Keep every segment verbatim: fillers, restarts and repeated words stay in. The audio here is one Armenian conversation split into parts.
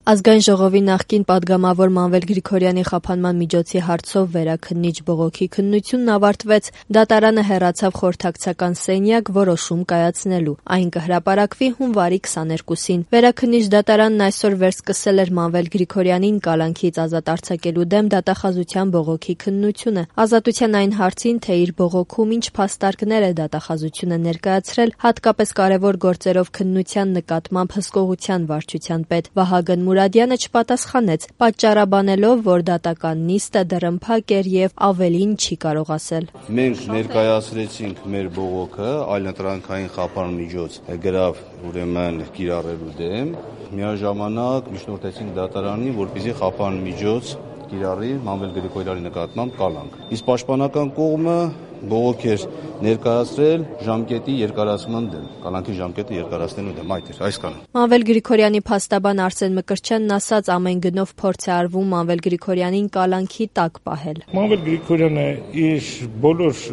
Ազգային ժողովի նախկին պատգամավոր Մանվել Գրիգորյանի խափանման միջոցի հարցով վերաքննիչ բողոքի քննությունն ավարտվեց, դատարանը հեռացավ խորհրդակցական սենյակ որոշում կայացնելու, այն կհրապարակվի հունվարի քսաներկուսին։ Վերաքննիչ դատարանն այսօր վերսկսել էր Մանվել Գրիգորյանին կալանքից ազատ արձակելու դեմ դատախազության բողոքի քննությունը։ Ազատության այն հարցին, թե իր բողոքում ինչ փաստարկներ է դատախազությունը ներկայացրել, հատկապես կարևոր գործերով քննության նկատմամբ հսկողության վարչության պետ Վահագն Մուրադյանը չպատասխանեց, պատճառաբանելով, որ դատական նիստը դռնփակ էր եւ ավելին չի կարող ասել։ Մենք ներկայացրեցինք մեր բողոքը այլընտրանքային խափան միջոց գրավ ուրեմն կիրառելու դեմ, միաժամանակ միջնորդեցինք դատարանին, որպեսզի խափան միջոց կիրառի Մանվել Գրիգորյանի նկատմամբ կալանք։ Իսկ պաշտպանական կողմը բողոք էր ներկայացրել ժամկետի երկարացման դեմ, կալանքի ժամկետը երկարացնելու դեմ, այդ էր, այսքանը։ Մանվել Գրիգորյանի փաստաբան Արսեն Մկրտչյանն ասաց, ամեն գնով փորձ է արվում Մանվել Գրիգորյանին կալանքի տակ պահել։ Մանվել Գրիգորյանը իր բոլոր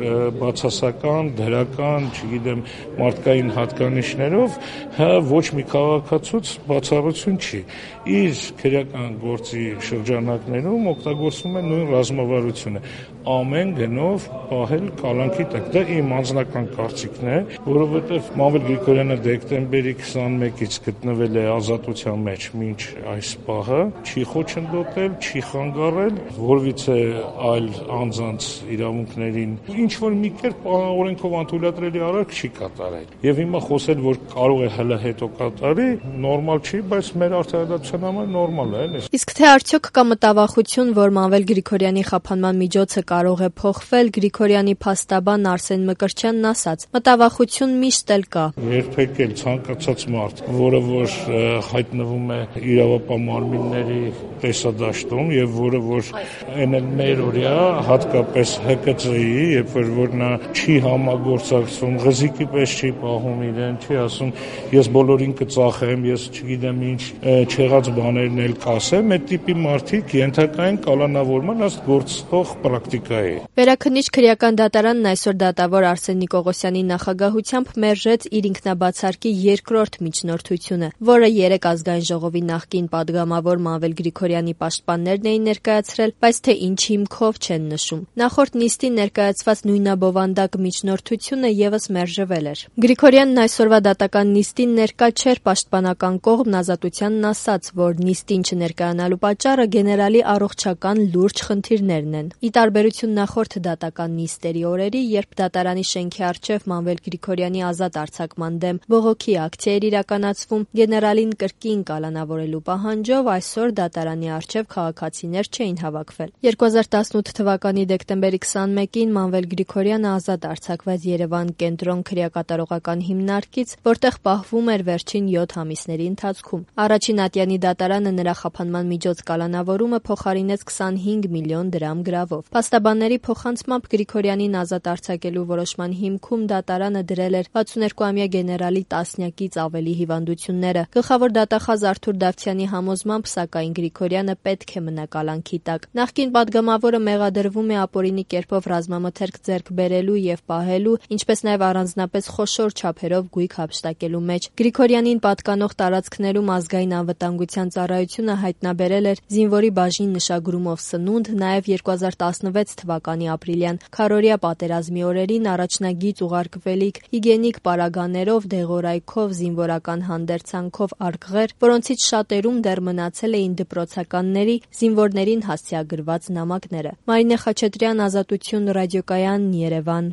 բացասական, դրական, չգիտեմ, մարդկային հատկանիշներով հա ոչ մի քաղաքացուց բացառություն չի։ Իր քրեական գործի շրջանակներում օգտագործվում է նույն ռազմավարությունը, ամեն գնով պահել կալանքի տակ։ Դա իմ անձնական կարծիքն է, որովհետև Մանվել Գրիգորյանը դեկտեմբերի քսանմեկից գտնվել է ազատության մեջ մինչ այս պահը, չի խոչընդոտել, չի խանգարել, որևիցե այլ անձանց իրավունքներին ինչ որ մի կերպ օրենքով անթույլատրելի արարք չի կատարել։ Եվ հիմա խոսել, որ կարող է հլը հետո կատարի, նորմալ չի, բայց մեր արդարադատության համար նորմալ է, էլի։ Իսկ թե արդյոք կա մտավախություն, որ Մանվել Գրիգորյանի խափանման միջոցը կարող է փոխվել, Գրիգորյանի փաստաբան Արսեն Մկրտչյանն ասաց. մտավախություն միշտ էլ կա։ Երբեք էլ ցանկացած մարդ, որը որ հայտնվում է իրավապահ մարմինների տեսադաշտում եւ որը որ այն էլ մեր օրյա, հատկապես Հ Կ Ծ-ի, երբ որ նա չի համագործակցում, ղզիկի պես չի պահում իրեն, չի ասում ես բոլորին կծախեմ, ես չգիտեմ ինչ չեղած բաներն էլ կասեմ, այդ տիպի մարդիկ ենթակային կալանավորման ըստ գործող պրակտիկայի։ Վերաքննիչ քրեական դատարանն այսօր դատավոր Արսեն Նիկողոսյանի նախագահությամբ մերժեց իր ինքնաբացարկի երկրորդ միջնորդությունը, որը երեք ազգային ժողովի նախկին պատգամավոր Մանվել Գրիգորյանի պաշտպաններն էին ներկայացրել, բայց թե ինչ հիմքով չեն նշում։ Նախորդ նիստին ներկայացված նույնաբովանդակ միջնորդությունը եւս մերժվել էր։ Գրիգորյանն այսօրվա դատական նիստին ներկա չէր, պաշտպանական կողմն ազատությանն ասաց, որ նիստին չներկայանալու պատճառը գեներալի առողջական լուրջ խնդիրներն են։ Ի տարբերություն նախորդ դատական նիստերի օրերի, երբ դատարանի շենքի առջև Մանվել Գրիգորյանի ազատ արձակման դեմ բողոքի ակցիա էր իրականացվում, գեներալին կրկին կալանավորելու պահանջով, այսօր դատարանի առջև քաղաքացիներ չէին հավաքվել։ երկու հազար տասնութ թվականի դեկտեմբերի քսանմեկին Մանվել Գրիգորյանը ազատ արձակվեց Երևան կենտրոն քրեակատարողական հիմնարկից, որտեղ պահվում էր վերջին յոթ ամիսների ընթացքում։ Առաջին ատյանի դատարանը նրա խափանման միջոց կալանավորումը փոխարինեց քսանհինգ միլիոն դրամ գրավով։ Փաստաբանների փոխանցմամբ Գրիգորյանին ազատ արձակելու որոշման հիմքում դատարանը դրել էր վաթսունհերկուամյա գեներալի տասնյակից ավելի հիվանդությունները։ Գլխավոր դատախազ Արթուր Դավթյանի համոզմամբ, սակայն Գրիգորյանը պետք է մնա կալանքի տակ։ Նախկին պատգամավորը մեղադրվում է ապօրինի կերպով ռազմամթերք ձեռք բերելու եւ պահելու, ինչպես նաեւ առանձնապես խոշոր չափերով գույք հափշտակելու մեջ։ Գրիգորյանին պատկանող տարածքներում ազգային անվտանգության ծառայությունը հայտնաբերել էր զինվորի բաժին նշագրումով սնունդ, նաեւ երկու հազար տասնվեց թվականի ապրիլյան քարորիա պատերազմի օրերին առաջնագիծ ուղարկվելիք հիգիենիկ պարագաներով, դեղորայքով, զինվորական հանդերձանքով արկղեր, որոնցից շատերում դեռ մնացել էին դպրոցականների, զինվորներին հասցեագրված նամակները։ Մարինե Խաչատրյան, Ազատություն, Ռադիոկայան, Երևան։